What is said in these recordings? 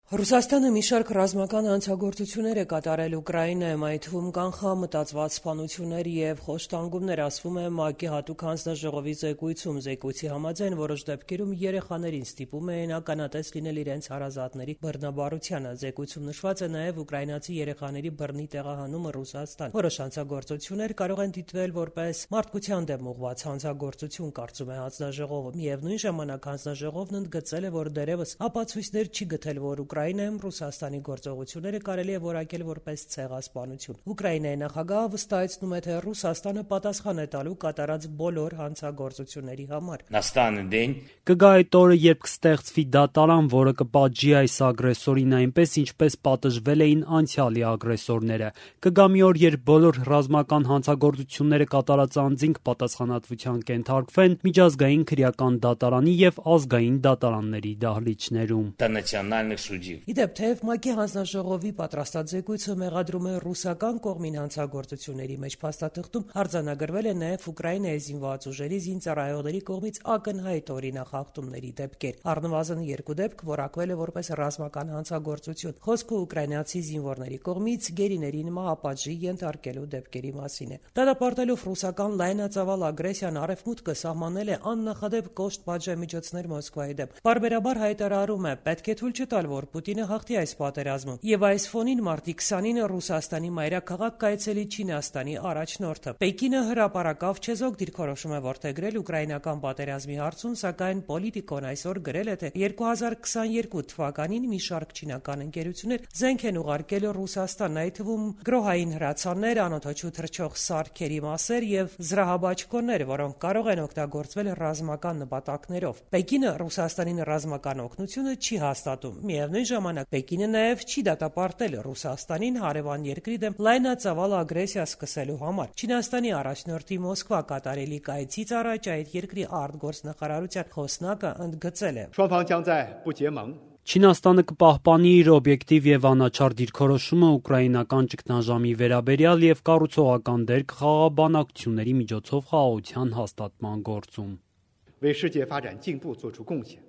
Ռուսաստանը մի շարք ռազմական հանցագործություններ է կատարել Ուկրաինայում, այդ թվում կանխամտածված սպանություններ և խոշտանգումներ, ասվում է ՄԱԿ-ի հատուկ հանձնաժողովի զեկույցում։ Զեկույցի համաձայն որոշ դեպքերում երեխաներին ստիպում էին ականատես լինել իրենց հարազատների բռնաբարությանը։ Զեկույցում նշված է նաև ուկրաինացի երեխաների բռնի տեղահանումը Ռուսաստան։ Որոշ հանցագործություններ կարող են դիտվել որպես մարդկության դեմ ուղղված հանցագործություն, կարծում է հանձնաժողովը։ Միևնույն ժամանակ հանձնաժողովն ընդգծել է, որ դեռևս ապացույցներ չի գտել, որ Ուկրաինայում Ռուսաստանի գործողությունները կարելի է որակել որպես ցեղասպանություն։ Ուկրաինայի նախագահը վստահեցնում է, թե Ռուսաստանը պատասխան է տալու կատարած բոլոր հանցագործությունների համար։ Կգա այդ օրը, երբ կստեղծվի դատարան, որը կպատժի այս ագրեսորին այնպես, ինչպես պատժվել էին անցյալի ագրեսորները։ Կգա մի օր, երբ բոլոր ռազմական հանցագործությունները կատարած անձինք պատասխանատվության կենթարկվեն միջազգային քրեական դատարանի և ազգային դատարանների դահլիճներում։ Իդեպ, թեև ՄԱԿ-ի հանձնաժողովի պատրաստած զեկույցը մեղադրում է ռուսական կողմին հանցագործությունների մեջ, փաստաթղթում արձանագրվել է նաև Ուկրաինայի զինված ուժերի զինծառայողների կողմից ակնհայտ օրինախախտումների դեպքեր։ Առնվազն 2 դեպք որակվել է որպես ռազմական հանցագործություն։ Խոսքը ուկրաինացի զինվորների կողմից գերիներին մահապատժի ենթարկելու դեպքերի մասին է։ Դատապարտելով ռուսական լայնածավալ ագրեսիան, Արևմուտքը սահմանել է աննախադեպ կոշտ պատժամիջոցներ Մոսկվայի դեմ։ Պարբերաբար հայտարարում է, պետք է թույլ չտալ, որ Պուտինը հաղթի այս պատերազմում։ Եվ այս ֆոնին մարտի 20-ին Ռուսաստանի մայրաքաղաք կայցելի Չինաստանի առաջնորդը։ Պեկինը հրապարակավ չեզոք դիրքորոշում է որդեգրել ուկրաինական պատերազմի հարցում, սակայն Պոլիտիկոն այսօր գրել է, թե 2022 թվականին մի շարք չինական ընկերություններ զենք են ուղարկել Ռուսաստան, այդ թվում գրոհային հրացաններ, անօդաչու թռչող սարքերի մասեր և զրահաբաճկոններ, որոնք կարող են օգտագործվել ռազմական նպատակներով։ Պեկինը Ռուսաստանին ռազմական օգնությունը չի հաստատում։ Միևնույն ժամանակ Պեկինը նաև չի դատապարտել Ռուսաստանին հարևան երկրի դեմ լայնածավալ ագրեսիա սկսելու համար։ Չինաստանի առաջնորդի Մոսկվա կատարելիք այցից առաջ այդ երկրի արտգործնախարարության խոսնակը ընդգծել է. Չինաստանը կպահպանի իր օբյեկտիվ և անաչառ դիրքորոշումը ուկրաինական ճգնաժամի վերաբերյալ և կառուցողական դեր կխաղա բանակցությունների միջոցով խաղաղության հաստատման գործում։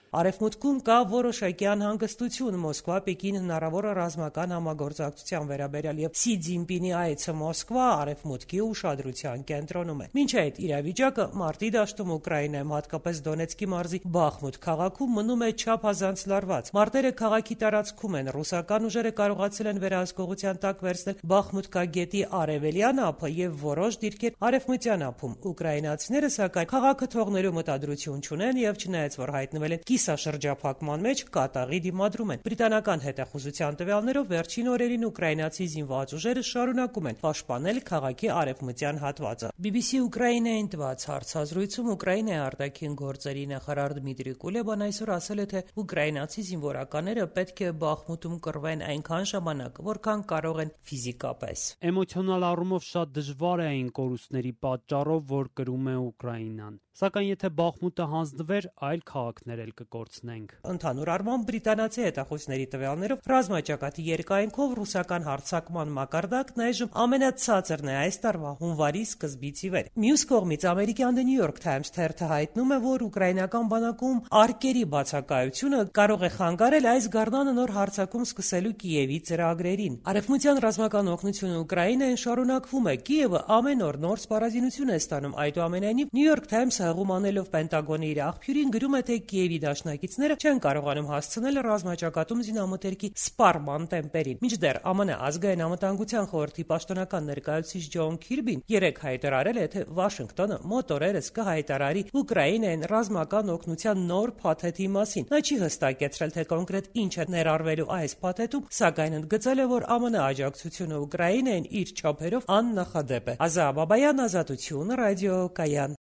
Արևմուտքում կա որոշակի անհանգստություն Մոսկվա-Պեկին հնարավոր ռազմական համագործակցության վերաբերյալ, և Սի Ցզինպինի այցը Մոսկվա արևմուտքի ուշադրության կենտրոնում է։ Մինչ այդ իրավիճակը մարտի դաշտում Ուկրաինայում, հատկապես Դոնեցկի մարզի Բախմուտ քաղաքում մնում է չափազանց լարված։ Մարտերը քաղաքի տարածքում են, ռուսական ուժերը կարողացել են վերահսկողության տակ վերցնել Բախմուտկա գետի արևելյան ափը և որոշ դիրքեր արևմտյան ափում։ Ուկրաինացիները, սակայն, քաղաքը թողնելու մտադրություն չունեն և չնայած որ հայտնվել են կիսաշրջափակման մեջ, կատաղի դիմադրում են։ Բրիտանական հետախուզության տվյալներով վերջին օրերին ուկրաինացի զինված ուժերը շարունակում են պաշտպանել քաղաքի արևմտյան հատվածը։ BBC Ուկրաինային տված հարցազրույցում Ուկրաինայի արտաքին գործերի նախարար Դմիտրի Կուլեբան այսօր ասել է, թե ուկրաինացի զինվորականները պետք է Բախմուտում կռվեն այնքան ժամանակ, որքան կարող են ֆիզիկապես։ Էմոցիոնալ առումով շատ դժվար է այն կորուստների պատճառով, որ կրում է Ուկրաինան։ Սակայն եթե Բախմուտը հանձնվեր, այլ քաղաքներ էլ կկորցնենք։ Ընդհանուր առմամբ բրիտանացի հետախուզների տվյալներով ռազմաճակատի երկայնքով ռուսական հարձակման մակարդակն այժմ ամենացածրն է այս տարվա հունվարի սկզբից ի վեր։ Մյուս կողմից ամերիկյան The New York Times թերթը հայտնում է, որ ուկրաինական բանակում արկերի բացակայությունը կարող է խանգարել այս գարնանը նոր հարձակում սկսելու Կիևի ծրագրերին։ Արևմտյան ռազմական օգնությունը Ուկրաինային շարունակվում է։ Կիևը ամեն օր նոր սպառազինություն է ստանում։ Այդուամենայնիվ New York Times-ը հղում անելով Պենտագոնի իր աղբյուրին գրում է, թե Կիևի դաշնակիցները չեն կարողանում հասցնել ռազմաճակատում զինամթերքի սպառման տեմպերին։ Մինչդեռ ԱՄՆ ազգային անվտանգության խորհրդի պաշտոնական ներկայացուցիչ Ջոն Քիրբին երեկ հայտարարել է, թե Վաշինգտոնը մոտ օրերս կհայտարարի Ուկրաինային ռազմական օգնության նոր փաթեթի մասին։ Նա չի հստակեցրել, թե կոնկրետ ինչ է ներառվելու այս փաթեթում, սակայն ընդգծել է, որ ԱՄՆ աջակցությունը Ուկրաինային իր չափերով աննախադեպ է։ Ազա Բաբայան, Ազատություն, Ռադիո Կայան։